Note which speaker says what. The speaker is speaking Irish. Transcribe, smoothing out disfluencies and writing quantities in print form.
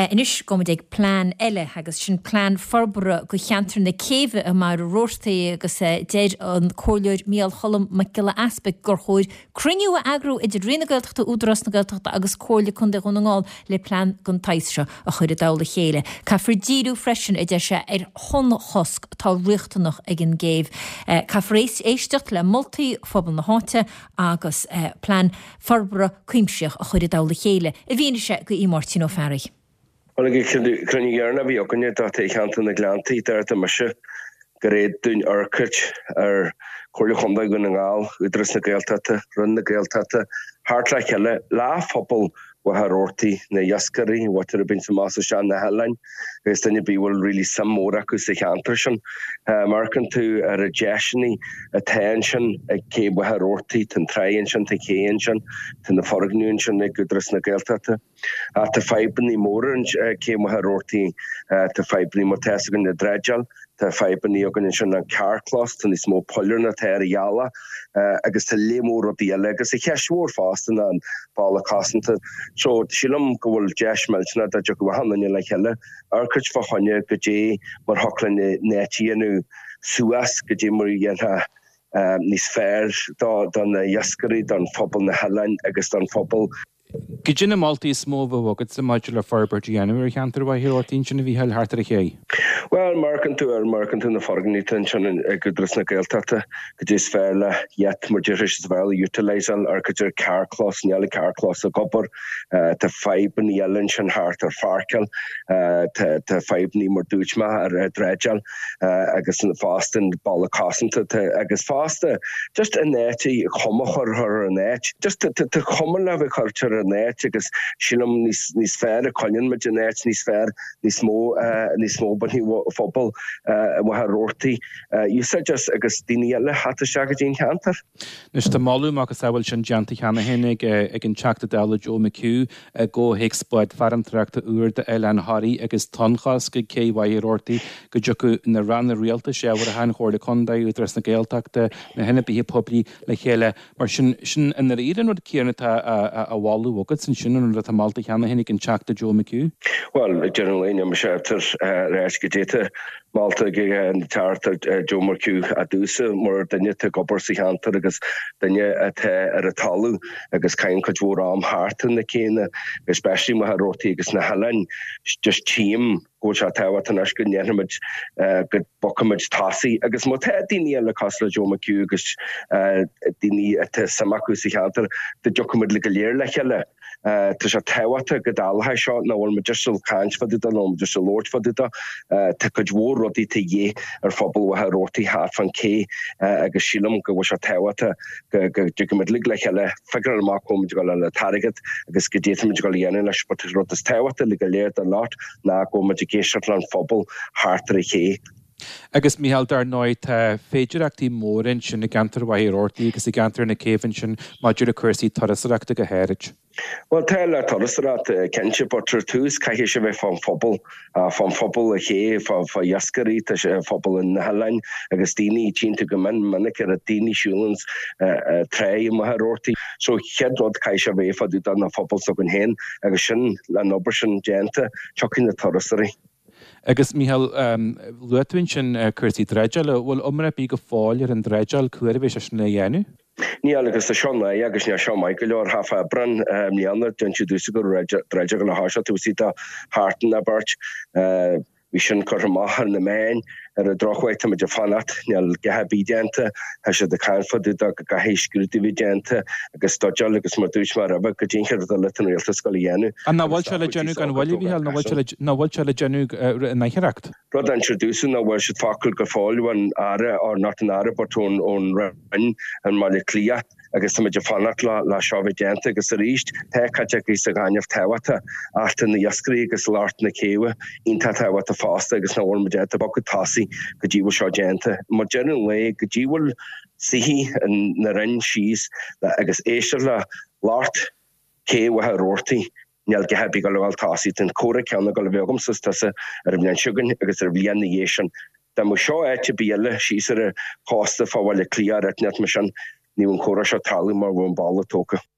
Speaker 1: Anois gabhfaimid ag plean eile agus sin plean forbartha do cheantar na céibhe i Machaire Rabhartaigh agus deir an Comhairleoir Micheál Cholm Mac Giolla Easpaig gur chóir cruinniú a eagrú idir Roinn na Gaeltachta, Údarás na Gaeltachta agus Comhairle Contae Dhún na nGall le plean den tsaghas seo a chur i dtoll a chéile. Caithfear díriú freisin, a deir sé, ar thonnchosc atá riachtanach ag an gcéibh. Caithfear éisteacht le moltaí phobal na háite agus plean forbartha cuimsitheach a chur i dtoll a chéile, i bhfianaise go Aodh Máirtín Ó Fearraigh.
Speaker 2: Bhuel, ag an cruinniú dheireanach a bhí againne i dtaobh cheantar na Gleanntaí, deirtear mise gur fhéad dúinn amharc ar Chomhairle Chontae Dhún na nGall, Údarás na Gaeltachta, Roinn na Gaeltachta, theacht le chéile, le phobal Mhachaire Rabhartaigh, na iascairí, mhuintir a bíonns amach is isteach na hoileáin agus duine ar bith a bhfuil really suim mór acu sa cheantar sin. Má amharcann tú ar na deiseanna atá ansin ag Cé Mhachaire Rabhartaigh, tá an tráigh ansin, tá an ché ansin, tá na foirgnimh ansin ag Údarás na Gaeltachta. Ach tá fadhbanna móra ag Cé Mhachaire Rabhartaigh, tá fadhbanna mar tá fhios againn le dreideáil, Tá fadhbanna againn ansin an carrchlós, tá níos mó poill ná atá ar an ghealach agus tá lear mór rudaí eile agus an cheist mhór fosta ná an balla cosanta. So sílim go bhfuil deis millteanach dá dtiocfadh achan duine le chéile, amharc fá choinne goidé mar thiocfadh linn an áit a dhéanamh suas, goidé mar a dhéanfá níos fearr do na iascairí, don phobal na hoileáin agus don phobal.
Speaker 3: Goidé na moltaí is mó a bheadh agatsa maidir le forbairt a dhéanamh ar cheantar Mhachaire Rabhartaigh ansin a Mhícheáil, thart ar an ché?
Speaker 2: Bhuel, má amharcann tú ar, má amharcann tú na foirgnimh atá ansin ag Údarás na Gaeltachta, goidé is fearr le iad, mar déarfá is fearr le utilise-áil, amharc ar carrchlós, níl an carrchlós ag obair, tá fadhbanna eile ansin thart ar pháirceáil, tá, tá fadhbanna mar dúirt mé ar dreideáil. agus fosta an balla cosanta agus fosta just an áit cuma a chur ar an áit. Just tá cuma le bheith curtha ar an áit agus sílim níos níos fearr a coinníonn muid an áit níos fearr níos mó níos mó bainfidh phobal Mhachaire Rabhartaigh úsáid as agus daoine eile theacht isteach go dtí an cheantar.
Speaker 3: Anois tá moladh macasamhail sin déanta cheana féin ag ag an Teachta Dála Joe McHugh i gcomhthéacs bád farantóireachta úr d'Oileán Thoraí agus tonnchosc ag Cé Mhachaire Rabhartaigh go dtiocfadh na ranna rialtais ábhartha, an Chomhairle Contae, Údarás na Gaeltachta, na hionadaithe poiblí le chéile. Mar sin, sin i ndáiríre an rud céanna atá á mholadh agat ansin, an rud atá molta cheana féin ag an Teachta Joe McHugh.
Speaker 2: Bhuel, ag deireadh an lae, níl mise ar ais go dté molta ag an Teachta Joe McHugh domhsa mar duine atá ag obair sa cheantar agus duine atá ar an talamh agus caitheann cuid mhór am thart ar na céanna, especially Machaire Rabhartaigh agus na hoileáin, just tchím go bhfuil sé tábhachtach anois go ndéanfaimid, go bogfaimid tosaigh agus má tá daoine eile cosúil le Joe McHugh agus daoine atá suim acu sa cheantar, go dtiocfaimid go léir le chéile. Tá sé tábhachtach go dtarlóidh seo, nach bhfuil muid just ag caint fá dtaobh de, nach bhfuil muid just ag labhairt fá dtaobh de. Tá cuid mhór rudaí de dhíth ar phobal Mhachaire Rabhartaigh thart fán ché agus sílim go bhfuil sé tábhachtach go dtiocfaimid uilig le chéile, figure-áil amach cá bhfuil muid ag dul a fháil an t-airgead agus goidé atá muid ag dul a dhéanamh leis. But an rud is tábhachtaí uilig go léir den lot ná go bhfuil muid ag éisteacht leis an phobal thart ar an ché.
Speaker 3: Agus Mícheál, dar ndóigh, tá féidireachtaí móra ansin i gceantar Mhachaire Rabhartaigh agus i gceantar na Céibhe ansin maidir le cúrsaí turasóireachta go háirid.
Speaker 2: Bhuel, tá le turasóireacht, cinnte, but ar tús caithfidh sé bheith fán phobal, fán phobal an ché, fá iascairí, tá sé phobal na hoileáin agus daoine, tchíonn tú go mion minic ar daoine siúlann tráigh i Machaire Rabhartaigh. So chéad rud caithfidh sé bheith fá dtaobh de na phobal s'againn féin agus sin, le an obair sin déanta, tiocfaidh na turasóirí.
Speaker 3: Agus, Mícheál, luaigh tú ansin cúrsaí dreideála. Bhfuil iomrá ar bith go fóill ar an dreideáil, cá huair a bheidh sé sin le dhéanamh?
Speaker 2: Níl, agus tá seo náireach agus níl seo maith go leor. Thart fá Aibreán i mbliana, d'inseadh domhsa go raibh dreideáil ag dul a thoiseacht taobh istigh de sheachtain nó beirt. Bhí sin curtha amach ar na meáin. Ar an drochuair, táimid ag fanacht, níl a dhath ar bith déanta. Tá siad ag caint fá dtaobh de go gcaithfidh scrúdú bheith déanta agus study-áil agus mar dúirt mé roimhe, goidé an chéad rud eile atá an rialtas ag dul a dhéanamh.
Speaker 3: An nach bhfuil sé le déanamh gan mhoill, a Mhícheáil, nach bhfuil sé le déanamh in aichearracht?
Speaker 2: Rud a inseadh domhsa nach bhfuil siad focal go fóill ón Aire, or not an Aire but ón Roinn i mBaile Átha Cliath. agus táimid ag fanacht le seo a bheith déanta agus arís tá cuid acu sa ghaineamh tábhachtach ach tá na iascairí agus lucht na céibhe iontach tábhachtach fosta agus nach bhfuil muid ábalta bogadh tosaigh go dtí bhfuil seo déanta. Mar deireadh an lae go dtí bhfuil suífidh an Roinn síos agus éisteacht le lucht cé Mhachaire Rabhartaigh Níl a dhath ar bith ag dul a dhul tosaigh. Tá an comhrá céanna ag dul a bheith agamsa is tusa ar an bhliain seo chugainn agus ar an bhliain ina dhiaidh sin. Dá mbeadh seo áit ar bith eile, síos ar an chósta fá Bhaile Átha Cliath ar áit inteacht mar sin, ní bheadh an comhrá seo ag tarlú mar bheadh an balla tógtha.